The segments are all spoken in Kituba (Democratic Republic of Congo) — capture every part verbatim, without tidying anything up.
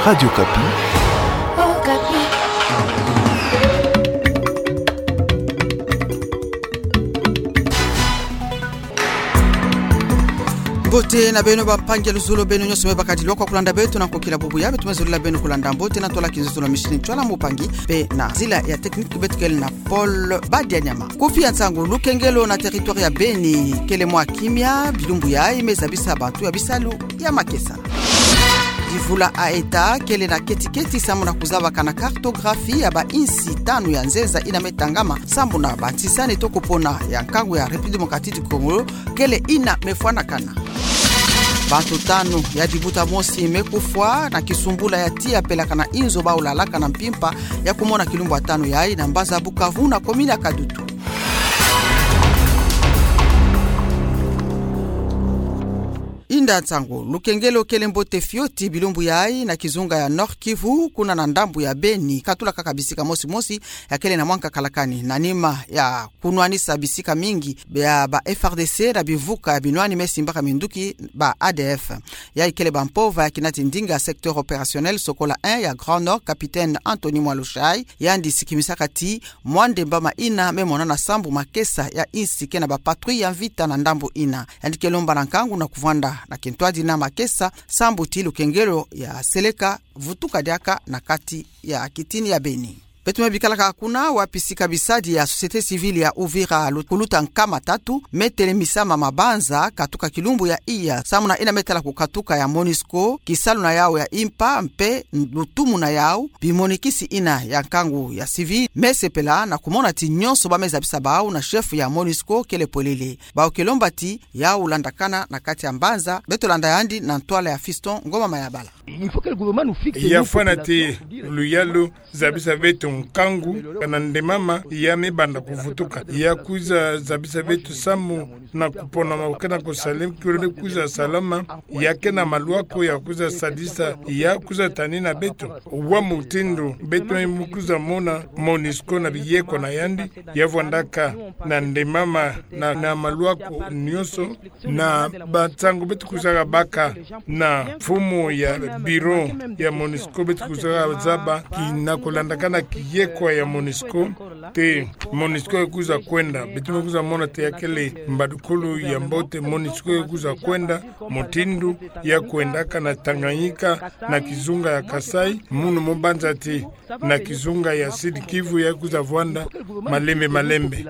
Radio Okapi. Mbote na beno bampangi ya luzolo, beno nyonso me bakadilwa kwa kulanda beto na nkokila bubu ya beto, me zolila beno kulanda mbote na ntwala kinzonzolo ya machine, ntwala mpangi, mpe na nzila ya technique beto kele na Paul Badianyama. Kufi ya nsangu: lukengelo na territoire ya Beni kele mwa kimia bilumbu yayi, me zabisa bantu ya bisalu ya makesa. Divula a État kele na keti-keti sambu na kuzabaka na cartographie ya bainsi tanu ya nzenza ina me tangama sambu na bantisani to kupona ya nkangu ya République Démocratique du Congo kele ina me fwanakana. Bantu tanu ya dibuta mosi me kufwa na kisumbula ya tiya pelakana inzo bawu lalaka na mpimpa ya kumona kilumbu ya tanu yayi na mbanza Bukavu na commune ya Kadutu. Inda nsangu: lukengelo kele mbote fioti bilumbu yayi na kizunga ya Nord-Kivu, kuna na ndambu ya Beni, katula kaka bisika mosi-mosi ya kele na mwa nkakalakani, na nima ya kunwanisa bisika mingi ya ba F A R D C na bimvuka ya binwani me simbaka minduki, ba A D F. Yayi kele bampova ya kinati ndinga secteur opérationnel Sokola un ya Grand Nord, capitaine Anthony Mwalushai, yandi sikimisaka ti mwa ndembama ina me monana sambu makesa ya insi ke na bapatrouille ya mvita na ndambu ina. Yandi ke lomba na nkangu na kuvwanda na kintwadi na makesa sambu ti lukengelo ya seleka vutuka diaka na kati ya kitini ya Beni. Beto me bikalaka kuna, wapi sika bisadi ya société civile ya Uvira lu-, kuluta nkama tatu me telemisama mabanza katuka kilumbu ya iya, samu na ina me tala kukatuka ya MONUSCO, kisalu na yawu ya impa mpe lutumu na yawu, bimonikisi ina ya nkangu ya civil me sepela na kumona ti nyonso ba me zabisa bawu na chef ya MONUSCO kele polele. Bawu ke lomba ti yawu landakana na kati ya mbanza. Beto landa yandi na ntwala ya Fiston Ngoma Mayabala. Il faut que le gouvernement nous fixe, ya fwana ti luyalu zabisa beto nkangu, kana ndemama ya me banda kuvutuka, ya kwiza zabisa beto samu na kupona maboke na kusalem kure kwiza salama, ya ke na malwako ya kwiza sadisa, ya kwiza tanina beto wa mutindu beto me kwiza mona MONUSCO na biyeko na yandi, ya vwandaka na ndemama na, na malwako nyonso, na bansangu beto kwizaka baka na mfumu ya bureau ya MONUSCO, beto kwizaka zaba kina kulandakana kiyekwa ya MONUSCO, ti MONUSCO ya kwiza kwenda. Beto me kwiza mona ti ya kele mbadukulu ya mbote, MONUSCO ya kwiza kwenda mutindu ya kwendaka na Tanganyika, na kizunga ya Kasaï, munu mo banza ti na kizunga ya Sud-Kivu ya kwiza vwanda malembe malembe.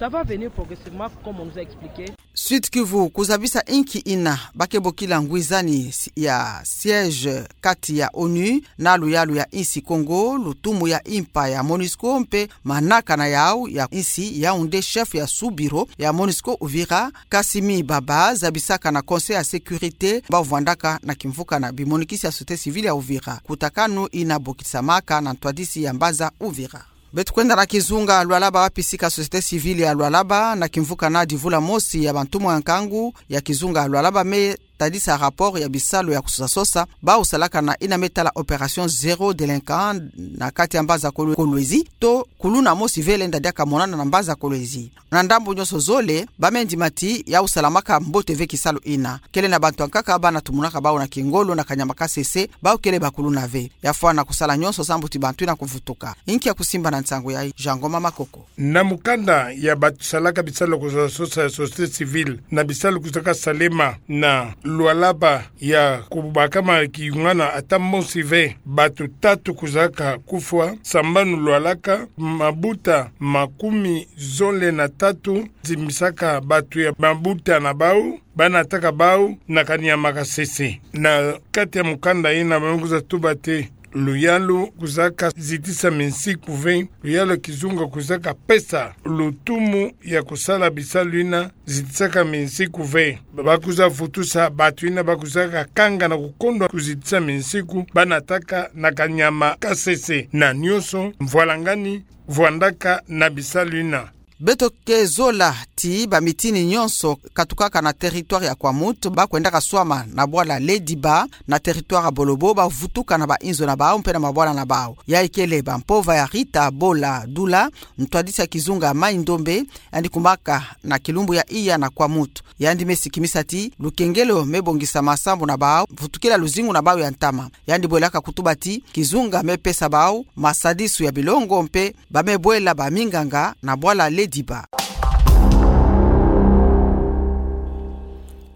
Ça va venir progressivement, comme on nous a expliqué. Sud-Kivu, kuzabisa inki ina ba ke bokila ngwizani si-, ya siège kati ya ONU na luyalu ya insi Congo, lutumu ya impa ya MONUSCO mpe manaka na yawu ya insi, Yaoundé, chef ya sous-bureau ya MONUSCO Uvira, Kassim Baba, zabisaka na Conseil ya sécurité ba vwandaka na kimvuka na bimonikisi ya société civile ya Uvira. Kutakanu ina bokisamaka na ntwadisi ya mbanza Uvira. Beto kwenda na kizunga Lualaba, wapi sika société civile ya Lualaba na kimvuka na divula mosi ya bantumwa ya nkangu ya kizunga Lualaba me tadisa rapport ya bisalu ya kusosa-sosa bawu salaka na ina me tala opération zéro délinquant na kati ya mbanza Kol-, Kolwezi, to kuluna mosi ve lenda diaka monana na mbanza Kolwezi. Na ndambu nyonso zole, ba me ndima ti yawu salamaka mbote ve kisalu ina. Kele na bantu ya nkaka bana tumunaka bawu na kingolo na kanyama kasese, bawu kele bakuluna ve. Ya fwana kusala nyonso sambu ti bantu ina kuvutuka. Inki ya kusimba na nsangu yayi? Jean Ngoma Makoko. Na mukanda ya basalaka bisalu kusosa-sosa ya société civile na bisalu kwizaka salema na Lualaba, ya kubakama kiyungana ata mosi ve, bantu tatu kwizaka kufwa, sambanu Lualaba, mabuta makumi zole na tatu zimbisaka bantu ya mabuta na bawu, ba nataka bawu na kanyama kasese. Na kati ya mukanda ina ba me kwiza tuba ti luyalu kwizaka zitisa minsiku ve, luyalu ya kizunga kwizaka pesa lutumu ya kusala bisalu ina zitisaka minsiku ve. Ba kwiza vutusa bantu ina ba kwizaka kanga na kukondwa kuzitisa minsiku, ba nataka na kanyama kasese na nyonso mvwalangani vwandaka na bisalu ina. Beto ke zola ti bamitini nyonso katukaka na territoire ya Kwamouth bakwendaka swama na bwala Lediba na territoire ya Bolobo bavutuka na bainzo na bau mpe na mabwala na bau. Yayi kele bampova ya Rita Bola Dula, ntwadisi ya kizunga Mai-Ndombe, yandi kumaka na kilumbu ya iya na Kwamouth. Yandi me sikimisa ti lukengelo me bongisama sambu na bau vutukila luzingu na bau ya ntama. Yandi bwelaka kutuba ti kizunga me pesa bau masadisu ya bilongo mpe ba me bwela baminganga na bwala Lediba.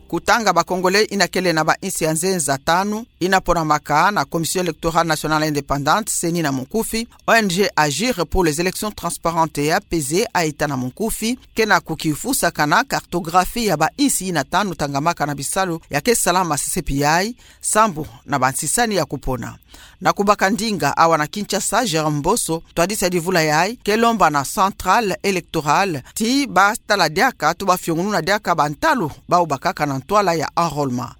Kutanga ba Congolais ina kele na bainsi ya nzenza tanu ina ponamaka na Commission Électorale Nationale Indépendante, C E N I na munkufi, O N G Agir pour les élections transparentes et apaisées, AETA na munkufi, ke na kukifusa kana cartographie ya bainsi ina tanu tangamaka na bisalu ya ke salama sesepi yayi, sambu na bansisani ya kupona. Na kubaka ndinga awa na Kinshasa, Jérôme Mboso, ntwadisi ya divula yayi, ke lomba na Centrale Électorale ti batala diaka to bafiongununa diaka bantalu bau bakaka na ntwala ya enrôlement.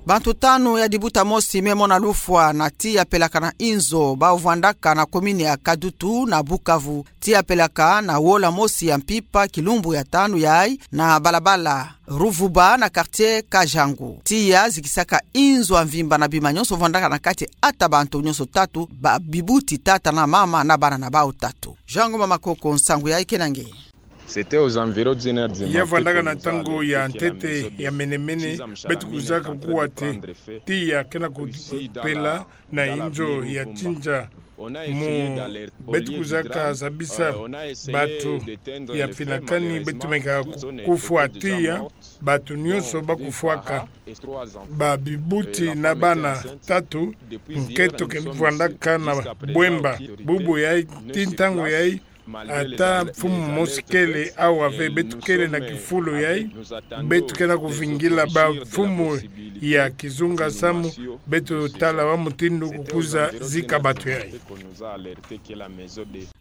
Bantu tanu ya dibuta mosi me mona lufwa na tiya pelaka na inzo bau vwandaka na commune ya Kadutu na Bukavu. Tiya pelaka na wola mosi ya mpimpa kilumbu ya tanu yayi na balabala Ruvuba na quartier Kajangu. Tiya zikisaka inzo ya mvimba na bima nyonso vwandaka na kati ata bantu nyonso tatu, babibuti, tata na mama na bana na bau tatu. Jean Ngoma Makoko, nsangu yayi ke na nge. Ya vwandaka na ntangu ya ntete ya menemene, beto kwizaka kuwa ti tiya ke na kupela na inzo ya tinza mu. Beto kwizaka zabisa bantu ya mfinakani, beto meka kufwa tiya, bantu nyonso bakufwaka, babibuti na bana tatu, nkento ke vwandaka na bwemba. Bubu yayi, tii ntangu yayi, ata mfumu mosi kele awa ve. Beto kele na kifulu yayi, beto ke na kuvingila bamfumu ya kizunga samu beto tala wa mutindu kukwiza zika bantu yayi.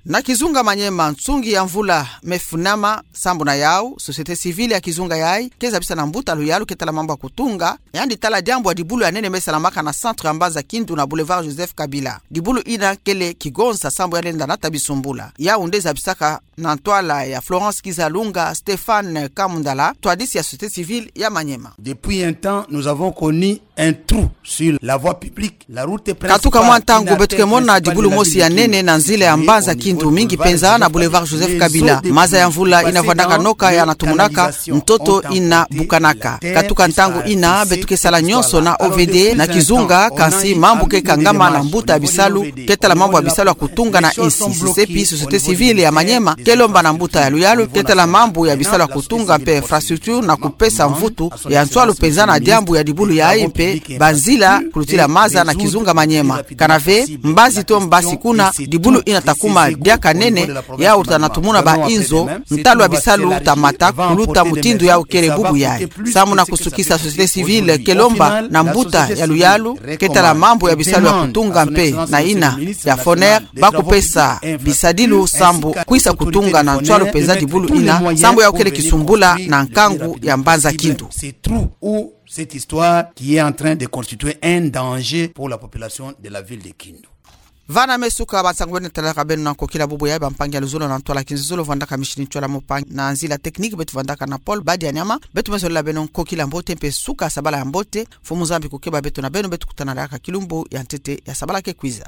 Na kizunga Maniema, nsungi ya mvula me funama, sambu na yau société civile ya kizunga yayi ke zabisa na mbuta luyalu ke tala mambu ya kutunga, yandi tala diambu ya dibulu ya nene me salamaka na centre ya mbanza Kindu na boulevard Joseph Kabila. Dibulu ina kele kigonza sambu ya lenda nata bisumbula. Yau nde zabisaka na ntwala ya Florence Kizalunga, Stéphane Kamundala, ntwadisi ya société civile ya Maniema. Depuis un temps, nous avons connu un trou sur la voie publique. Katuka mwa ntangu beto ke mona dibulu mosi ya nene na nzila ya mbanza Kindu, mingi penza na boulevard Joseph Kabila. Maza ya mvula ina vwandaka noka ya natumunaka, ntoto ina bukanaka. Katuka ntangu ina beto ke sala nyonso na O V D na kizunga, kansi mambu ke kangama na mbuta ya bisalu ke tala mambu ya bisalu ya kutunga na insi. Sesepi société civile ya Maniema ke lomba na mbuta ya luyalu ke tala mambu ya bisalu ya kutunga mpe infrastructure na kupesa mvutu ya nswalu penza na diambu ya dibulu yayi mpe banzila kulutila maza na kizunga Maniema. Kana ve, mbasi to mbasi kuna, dibulu ina ta kuma diaka nene, yau ta natumuna ba inzo, ntalu ya bisalu ta mata kuluta mutindu yau kele bubu yayi. Samu na kusukisa, société civile ke lomba na mbuta ya luyalu ke tala mambu ya bisalu ya kutunga mpe na ina ya Foner, ba kupesa bisadilu sambu kwisa kutunga na nswalu penza dibulu ina, sambu yau kele kisumbula na nkangu ya mbanza Kindu. Cette histoire qui est en train de constituer un danger pour la population de la ville de Kindu. Vana me suka bansangu beno talaka beno na nkokila bubu yayi. Bampangi ya luzolo na ntwala kinzuzolo, vwandaka Micheline Tchwala, mpangi na nzila technique beto vwandaka na Paul Badianyama. Beto me zolela beno nkokila mbote mpe suka sabala ya mbote. Mfumu Nzambi kukeba beto na beno, beto kutana diaka kilumbu ya ntete ya sabala ke kwiza.